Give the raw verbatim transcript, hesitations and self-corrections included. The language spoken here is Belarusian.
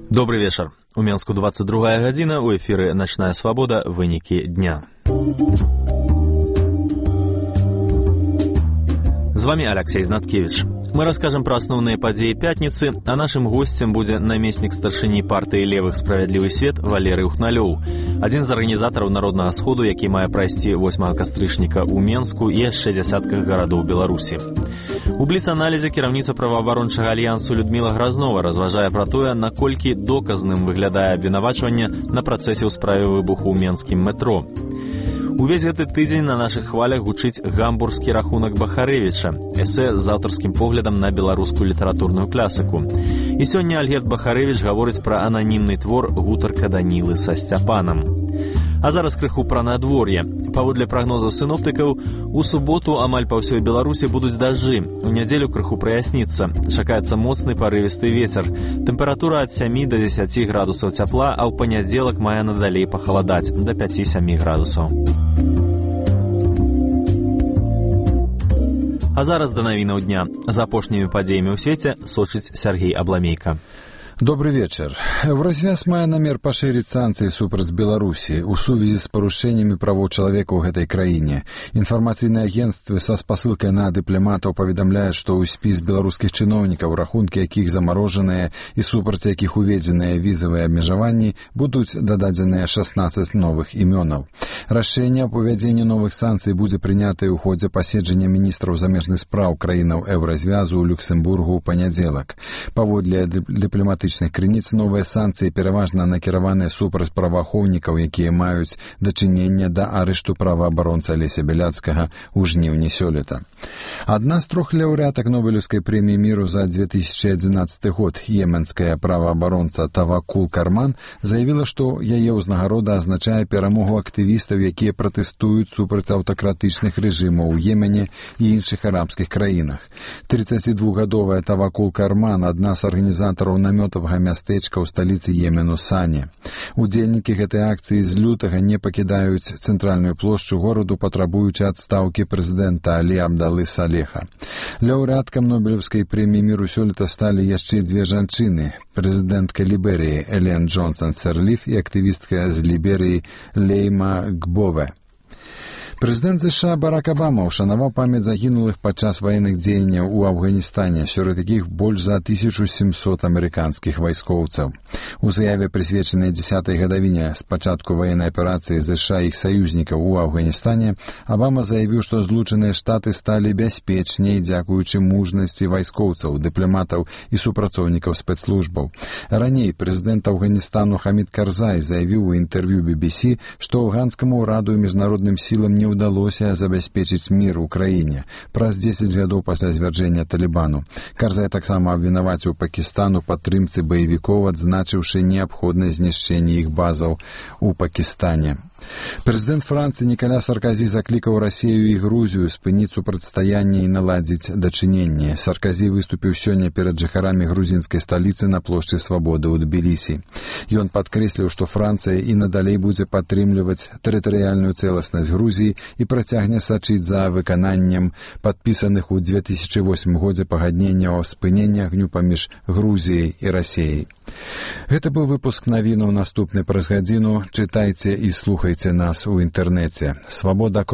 Добрый вечер. У Менску двадцать другая гадзіна, у эфіры «Начная свабода. Вынікі дня». З вами Алексей Знаткевич. Мы расскажем про основные подеи пятницы, а нашим гостем будет наместник старшыні партии «Левых справядлівы свет» Валерий Ухналёў, один из организаторов Народного сходу, які мае прайсці восьмага кастрычніка ў Менску і яшчэ дзясятках гарадоў Беларусі. У бліц-аналізе кіраўніца праваабарончага альянсу Людмила Грознова разважае пра тое, наколькі доказным выглядае абвінавачванне на працэсе ў справе выбуху ў менскім метро. Увесь гэты тыдзень на нашых хвалях гучыць гамбургскі рахунак Бахарэвіча, эсэ з аўтарскім поглядам на беларускую літаратурную класіку. І сёння Альгерд Бахарэвіч гаворыць пра ананімны твор «Гутарка Данілы са Сцяпанам». А зараз крыху пра надвор'е. Паводле прагнозаў сіноптыкаў, у суботу амаль па ўсёй Беларусі будуць дажджы. У нядзелю крыху праясніцца. Чакаецца моцны парывісты вецер. Тэмпература ад сямі да дзесяці градусаў цяпла, а ў панядзелак мае надалей пахаладаць да пяці-сямі градусаў. А зараз да навінаў дня. За апошнімі падзеямі ў свеце сочыць Сергей Абламейка. Добрый вечер. Евразвяз мае намер пашырыць санкцыі супраць Беларусі ў сувязі з парушэннямі правоў чалавека ў гэтай краіне. Інфармацыйныя агенцтвы са спасылкай на дыпламатаў паведамляюць, што ў спіс беларускіх чыноўнікаў, рахункі якіх замарожаныя і супраць якіх уведзеныя візавыя абмежаванні, будуць дададзеныя шаснаццаць новых імёнаў. Рашэнне аб увядзенні новых санкцый будзе прынятае ў ходзе паседжання міністраў замежных спраў краінаў Еўразвязу ў Люксембургу ў панядзелак. Паводле дыпламатычных крыніц, новыя санкцыі пераважна накіраваныя супраць праваахоўнікаў, якія маюць дачыненне да арышту праваабаронца Алеся Бяляцкага ў жніўні сёлета. Адна з трох лаўрэатак Нобелеўскай прэміі міру за две тысячи одиннадцатый год, йеменская праваабаронца Тавакул Карман, заявіла, што яе ўзнагарода азначае перамогу актывістаў, якія пратэстуюць супраць аўтакратычных рэжымаў у Йемене і іншых арабскіх краінах. тридцатидвухгадовая Тавакул Карман, адна з арганізатараў намётаў мястэчка ў сталіцы Йемену Сане. Удзельнікі гэтай акцыі з лютага не пакідаюць цэнтральную плошчу гораду, патрабуючы адстаўкі прэзідэнта Алі Абдалы Салеха. Лаўрэаткам Нобелеўскай прэміі міру сёлета сталі яшчэ дзве жанчыны: прэзідэнтка Ліберыі Элен Джонсон-Серліф і актывістка з Ліберыі Лейма Гбове. Прэзідэнт ЗША Барак Абама ушанаваў памяць загінулых падчас ваенных дзеянняў у Афганістане, сярод якіх больш за тысячу семьсот амерыканскіх вайскоўцаў. У заяве, прысвечанай дзесятай гадавіне з пачатку ваеннай аперацыі ЗША і іх саюзнікаў у Афганістане, Абама заявіў, што Злучаныя Штаты сталі бяспечней дзякуючы мужнасці вайскоўцаў, дыпламатаў і супрацоўнікаў спецслужбаў. Раней прэзідэнт Афганістану Хамід Карзай заявіў у інтэрв'ю би би си, што афганскаму ўраду і міжнародным сілам не удалося забяспечыць мір у краіне праз дзесяць гадоў пасля звяржэння Талібану. Карзай таксама абвінаваціў Пакістан у падтрымцы баевікоў, адзначыўшы неабходнасць знішчэння іх базаў у Пакістане. Прэзідэнт Францыі Нікаля Сарказі заклікаў Расію і Грузію спыніць супрацьстаянне і наладзіць дачыненне. Сарказі выступіў сёння перад жыхарамі грузінскай сталіцы на плошчы Свабоды ў Тбілісі. Ён падкрэсліў, што Францыя і надалей будзе падтрымліваць тэрытарыяльную цэласнасць Грузіі і працягне сачыць за выкананнем падпісаных у две тысячи восьмым годзе пагадненняў аб спыненні агню паміж Грузіяй і Расіяй. Гэта быў выпуск навінаў, наступны праз гадзіну. Чытайце і слухайце нас у інтэрнэце свабода